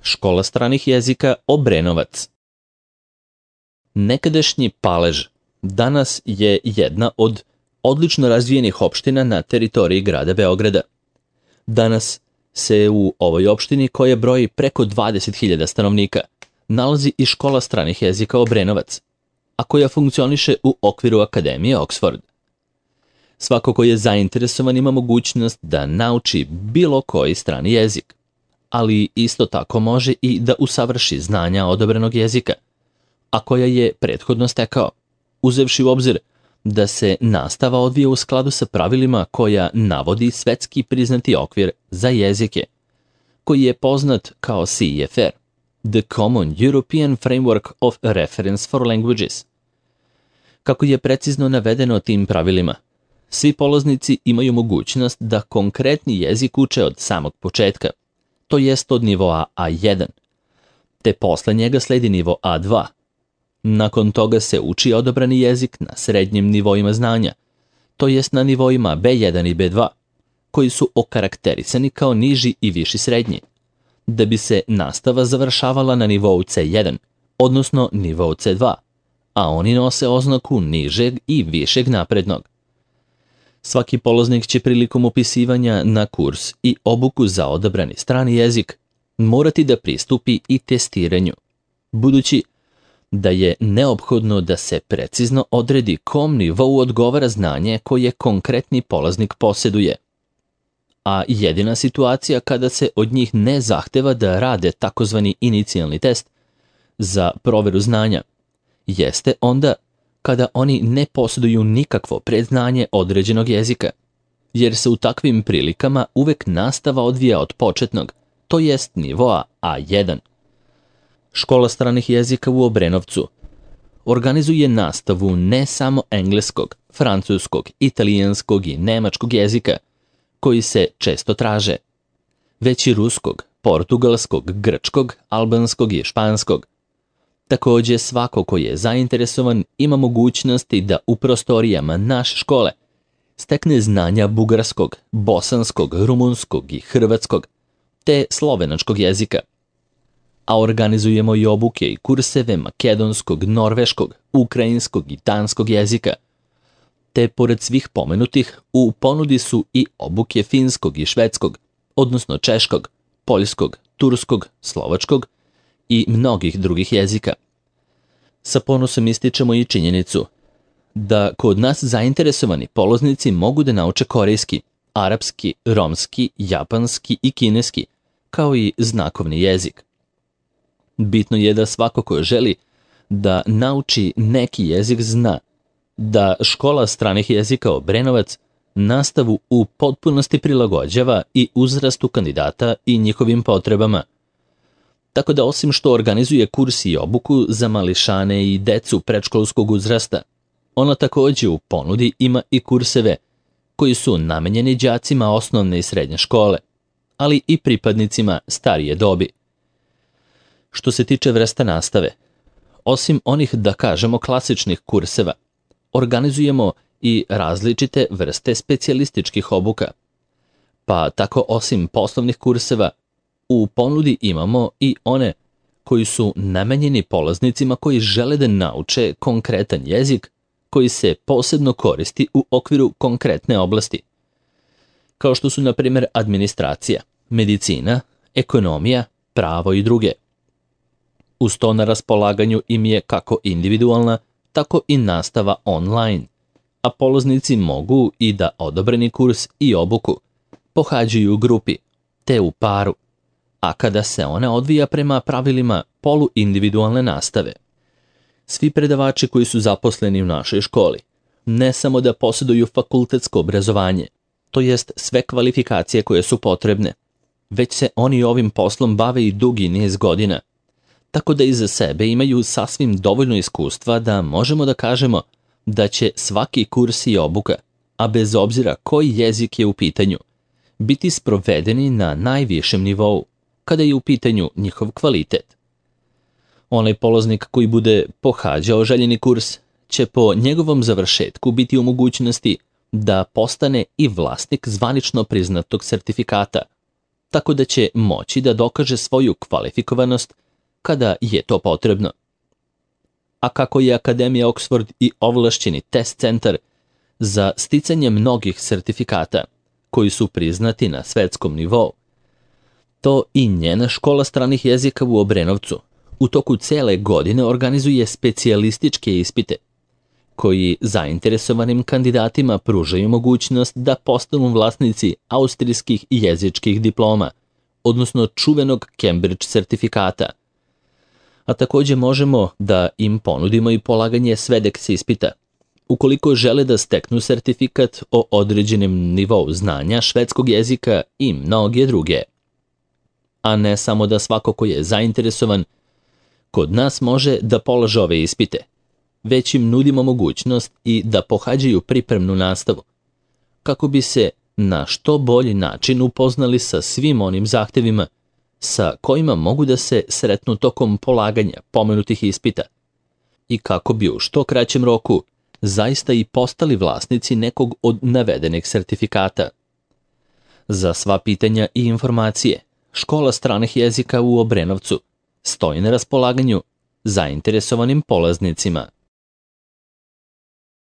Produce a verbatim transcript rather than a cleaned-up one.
Škola stranih jezika Obrenovac. Nekadašnji Palež danas je jedna od odlično razvijenih opština na teritoriji grada Beograda. Danas se u ovoj opštini, koja broji preko dvadeset hiljada stanovnika, nalazi i škola stranih jezika Obrenovac, a koja funkcioniše u okviru Akademije Oxford. Svako ko je zainteresovan ima mogućnost da nauči bilo koji strani jezik, ali isto tako može i da usavrši znanja odobrenog jezika, a koja je prethodno stekao, uzevši u obzir da se nastava odvija u skladu sa pravilima koja navodi svetski priznati okvir za jezike, koji je poznat kao C E F R, The Common European Framework of Reference for Languages. Kako je precizno navedeno tim pravilima, svi polaznici imaju mogućnost da konkretni jezik uče od samog početka, to jest od nivoa A jedan, te posle njega sledi nivo A dva. Nakon toga se uči odabrani jezik na srednjim nivoima znanja, to jest na nivoima B jedan i B dva, koji su okarakterisani kao niži i viši srednji, da bi se nastava završavala na nivou C jedan, odnosno nivou C dva, a oni nose oznaku nižeg i višeg naprednog. Svaki polaznik će prilikom upisivanja na kurs i obuku za odabrani strani jezik morati da pristupi i testiranju, budući da je neophodno da se precizno odredi kom nivou odgovara znanje koje konkretni polaznik posjeduje. A jedina situacija kada se od njih ne zahteva da rade takozvani inicijalni test za proveru znanja jeste onda kada oni ne posjeduju nikakvo predznanje određenog jezika, jer se u takvim prilikama uvek nastava odvija od početnog, to jest nivoa A jedan. Škola stranih jezika u Obrenovcu organizuje nastavu ne samo engleskog, francuskog, italijanskog i nemačkog jezika, koji se često traže, već i ruskog, portugalskog, grčkog, albanskog i španskog. Također, svako ko je zainteresovan ima mogućnosti da u prostorijama naše škole stekne znanja bugarskog, bosanskog, rumunskog i hrvatskog, te slovenačkog jezika. A organizujemo i obuke i kurseve makedonskog, norveškog, ukrajinskog i danskog jezika. Te pored svih pomenutih u ponudi su i obuke finskog i švedskog, odnosno češkog, poljskog, turskog, slovačkog i mnogih drugih jezika. Sa ponosom ističemo i činjenicu da kod nas zainteresovani polaznici mogu da nauče korejski, arapski, romski, japanski i kineski, kao i znakovni jezik. Bitno je da svako ko želi da nauči neki jezik zna da škola stranih jezika Obrenovac nastavu u potpunosti prilagođava i uzrastu kandidata i njihovim potrebama. Tako da osim što organizuje kurs i obuku za mališane i decu predškolskog uzrasta, ona također u ponudi ima i kurseve koji su namenjeni đacima osnovne i srednje škole, ali i pripadnicima starije dobi. Što se tiče vrsta nastave, osim onih, da kažemo, klasičnih kurseva, organizujemo i različite vrste specijalističkih obuka. Pa tako osim poslovnih kurseva, u ponudi imamo i one koji su namenjeni polaznicima koji žele da nauče konkretan jezik koji se posebno koristi u okviru konkretne oblasti, kao što su na primjer administracija, medicina, ekonomija, pravo i druge. Uz to na raspolaganju im je kako individualna, tako i nastava online, a polaznici mogu i da odobreni kurs i obuku pohađaju u grupi, te u paru, a kada se ona odvija prema pravilima poluindividualne nastave. Svi predavači koji su zaposleni u našoj školi ne samo da posjeduju fakultetsko obrazovanje, to jest sve kvalifikacije koje su potrebne, već se oni ovim poslom bave i dugi niz godina, tako da iza sebe imaju sasvim dovoljno iskustva da možemo da kažemo da će svaki kurs i obuka, a bez obzira koji jezik je u pitanju, biti sprovedeni na najvišem nivou, kada je u pitanju njihov kvalitet. Onaj polaznik koji bude pohađao željeni kurs će po njegovom završetku biti u mogućnosti da postane i vlasnik zvanično priznatog sertifikata, tako da će moći da dokaže svoju kvalifikovanost kada je to potrebno. A kako je Akademija Oxford i ovlašćeni test centar za sticanje mnogih sertifikata koji su priznati na svetskom nivou, to i njena škola stranih jezika u Obrenovcu u toku cele godine organizuje specijalističke ispite koji zainteresovanim kandidatima pružaju mogućnost da postanu vlasnici austrijskih jezičkih diploma, odnosno čuvenog Cambridge sertifikata. A takođe možemo da im ponudimo i polaganje SWEDEX ispita, ukoliko žele da steknu sertifikat o određenom nivou znanja švedskog jezika i mnoge druge. A ne samo da svako ko je zainteresovan kod nas može da polaže ove ispite, već im nudimo mogućnost i da pohađaju pripremnu nastavu, kako bi se na što bolji način upoznali sa svim onim zahtevima sa kojima mogu da se sretnu tokom polaganja pomenutih ispita i kako bi u što kraćem roku zaista i postali vlasnici nekog od navedenih sertifikata. Za sva pitanja i informacije, Škola stranih jezika u Obrenovcu stoji na raspolaganju zainteresovanim polaznicima.